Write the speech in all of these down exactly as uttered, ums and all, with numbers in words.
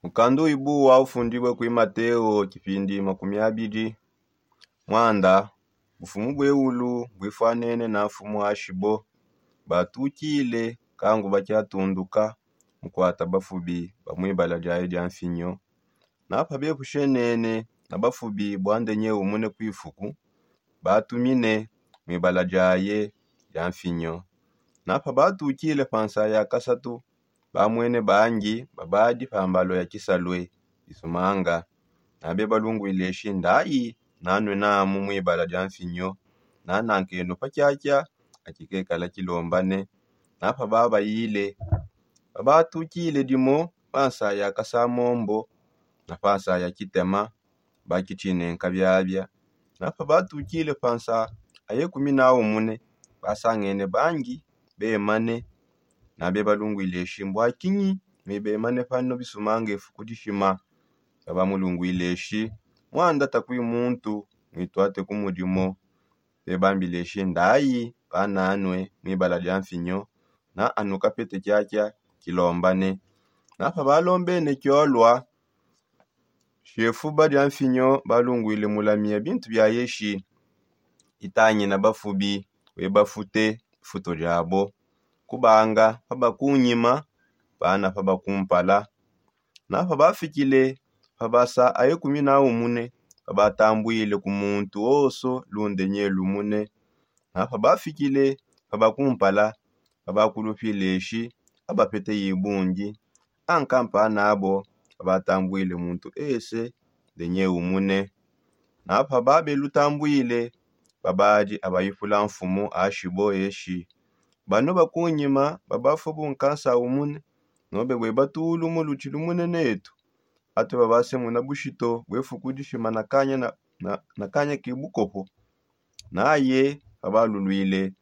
Mukanda uibu wa ufundibue kui mateo tshipindi makumi abidi. Muanda bufumu bueulu buifuanene na mfumu ashibo. Batukile kangu bakiatunduka mukuata bafubi ba muibala diaye dia mfinyo. Napa bepushenene na bafubi bua ndenye umune kuifuku, batumine muibala diaye dia mfinyo. Napa batukile pa nsa ya kasatu, bamwene bangi babadi pa mbalo ya kisalue bisumanga. Nabe balunguileshi ndayi nanue namu muibala dia mfinyo, nanankenu pa kiakia akikekala kilombane. Napa babayile babatukile dimo pa nsa ya kasamombo na pa nsa ya kitema, bakitshinenka biabia. Napa batukile pa nsa aye kumi na umune, basangene bangi bemane. Nabe balunguileshi mbua kinyi mibemane pano bisumanga ifuku dishima? Babamulunguileshi muanda takui muntu muituate ku mudimo. Bebambileshi ndayi pananue muibala dia mfinyo, na anu kapete kiakia kilombane. Napa balombene kiolua shefuba dia mfinyo balunguile mulamia bintu biaye shi itangina bafubi webafute ifuto diabo, kubanga pabakunyima pana pabakumpala. Napa bafikile pa basa aye kumi na umune, pabatambuile ku muntu oso lunde nye lumune. Napa bafikile pabakumpala, pabakulupile shi abapete yi bungi. Ankampa nabo pabatambuile muntu ese ndenye umune. Napa babelutambuile babadi abayipula mfumu ashibo eshi, bano bakunyima babafua bunkansa umune, nobe bwe batulu mu lutshi lumune netu, atu babasemuna bushito bwe fuku dishima na kanya na, na, na kanya ke bukopo. Naye pabalulwile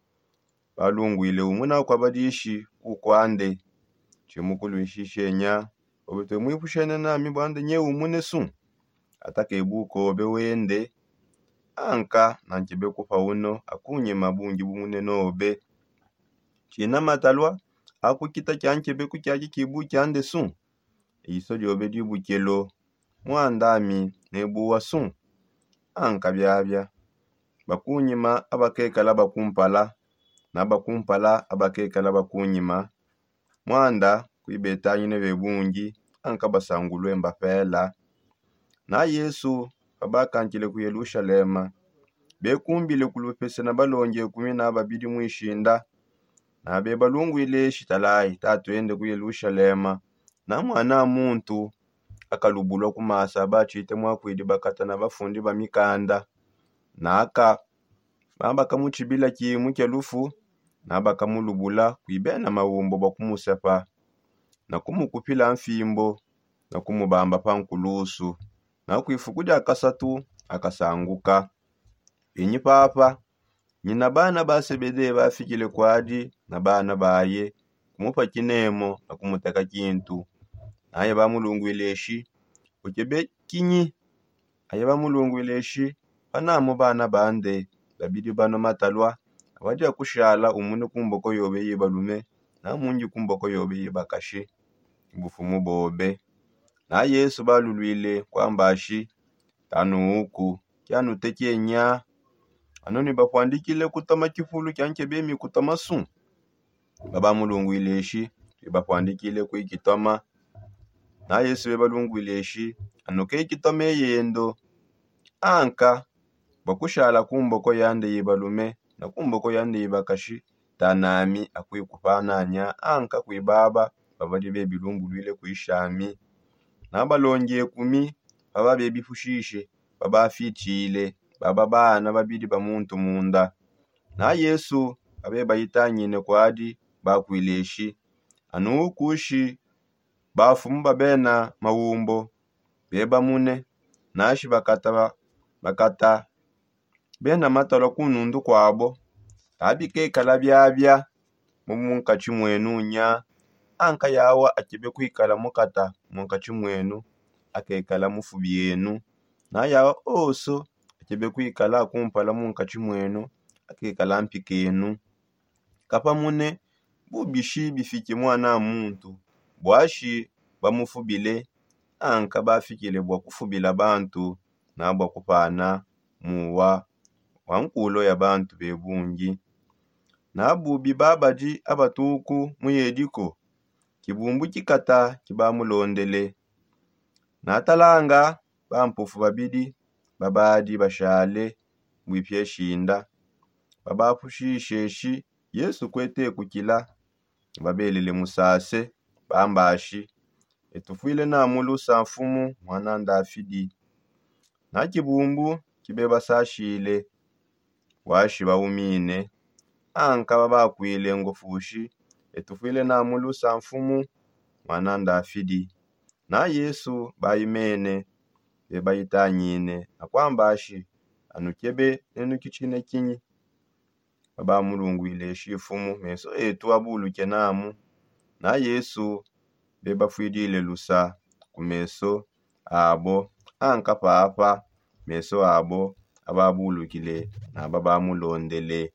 balunguile umuna kwa badishi kukwande. Tshimukuluishishenya obe tue muipushene nami bwande nye umune su? Atake bukobe wende. Anka na nkebe kupa uno akunyima bungi bumune nobe. Tshina matalua akukita kia nkebeku kiaki kibu kiande su? Iso diobe dibukelo muandami nebuwa su? Anka biabia bakunyima abakekala bakumpala, na bakumpala abakekala bakunyima. Muanda kuibetangine be bungi anka basangulue mbapela. Na yesu pabakankile ku yelushalema, bekumbile ku lupese na balongi ekumi na babidi muishinda. Na bebalunguile shitalayi tatuende ku yelushalema, na muana muntu akalubulua ku maasa batshite muakuidi bakata na bafundi ba mikanda. Naka na bakamutshibila kimu kia lufu, na bakamulubula kui bena maumbo bua kumusepa, na kumukupila mfimbo, na kumubamba pa nkulusu. Na kuifuku dia kasatu akasanguka. Pinyi papa, nyina bana ba sebede bafikile kuadi na bana baye, kumupa kinemo na kumuteka kintu. Naye bamulunguile eshi, ukebe kinyi? Aye bamulunguile eshi, panamu bana bande babidi banua matalua, abadia kushala umune ku mboko yobe ye balume, na mungi ku mboko yobe ye bakashi, bufumu bobe. Na yesu balulwile kuamba shi, tanuuku kianutekenya. Anu nibapuandikile kutoma kipulu kia nkebemi kutoma su? Babamulunguile eshi, bibapuandikile kui kitoma. Na yesu bebalunguile eshi, anu ke kitoma eyendo. Anka bua kushala ku mboko yande ye balume na ku mboko yande ye bakashi, tanami akuikupananya anka kui baba babadi bebilumbuluile kuishami. Na balongi ekumi paba bebipushishe, babafitshile baba bana babidi ba muntu munda. Na yesu abe bayitangine kuadi, bakuile eshi, anu ukushi bafumu ba bena maumbo bebamune, nashi bakata bakata bena matalua ku nundu kuabo. Kabikekala biabia mu munkatshi muenu nya, anka yawa akebe kuikala mukata munkatshi muenu akekala mufubi enu. Na yawa oso akebe kuikala akumpala munkatshi muenu akekala mpikenu. Kapamune bubishi bifike muana muntu buashi bamufubile. anka bafikile bua kufubila bantu na bua kupana muwa wa nkulo ya bantu bebungi. Na bubi babadi abatuku mu yediko, kibumbu kikata kibamulondele. Natalanga bampofu babidi babadi bashale buipia eshinda, babapushisheshi Yesu kuete kukila. Babelele musase, bambashi: Etufuile namu lusa, Mfumu, mwana Ndafidi. Na kibumbu kibebasashile, washi baumine. Anka babakwile ngofushi: Etufuile namu lusa, Mfumu, mwana Ndafidi. Na Yesu baimene, bebaitangine na kwambashi: Anukebe nenuki tshinekinyi? Babamulungwile: Shifumu, meso etu abuluke namu. Na Yesu bebafuidile lusa ku meso abo, anka papa meso abo ababulukile na babamulondele.